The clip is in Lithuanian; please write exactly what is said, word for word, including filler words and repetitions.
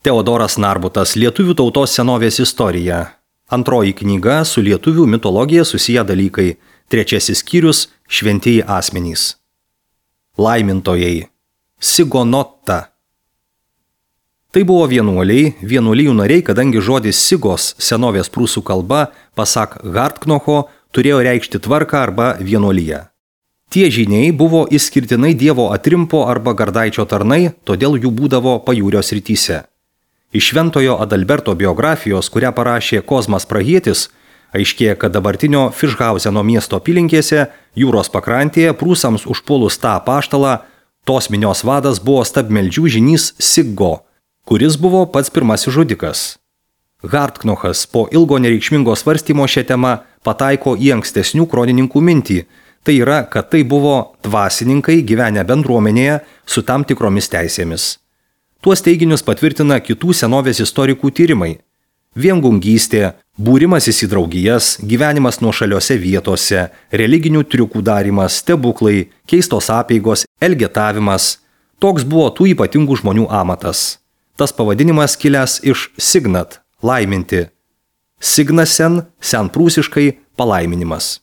Teodoras Narbutas, Lietuvių tautos senovės istorija. Antroji knyga su lietuvių mitologija susiję dalykai. Trečiasis skyrius – šventieji asmenys. Laimintojai. Sigonotta. Tai buvo vienuoliai, vienuolijų nariai, kadangi žodis sigos senovės prūsų kalba, pasak Hartknocho, turėjo reikšti tvarką arba vienuoliją. Tie žyniai buvo išskirtinai Dievo atrimpo arba gardaičio tarnai, todėl jų būdavo pajūrio srityse. Iš Šventojo Adalberto biografijos, kurią parašė Kozmas Prahietis, aiškėja, kad dabartinio Fišhauzeno miesto apylinkėse, jūros pakrantėje, prūsams užpuolus tą apaštalą, tos minios vadas buvo stabmeldžių žynys Siggo, kuris buvo pats pirmasis žudikas. Hartknochas po ilgo nereikšmingo svarstymo šią temą pataiko į ankstesnių kronininkų mintį, tai yra, kad tai buvo dvasininkai gyvenę bendruomenėje su tam tikromis teisėmis. Tuos teiginius patvirtina kitų senovės istorikų tyrimai. Viengungystė, būrimasis į draugijas, gyvenimas nuošaliose vietose, religinių triukų darymas, stebuklai, keistos apeigos, elgetavimas – toks buvo tų ypatingų žmonių amatas. Tas pavadinimas kilęs iš signat – laiminti. Signasen – senprūsiškai palaiminimas.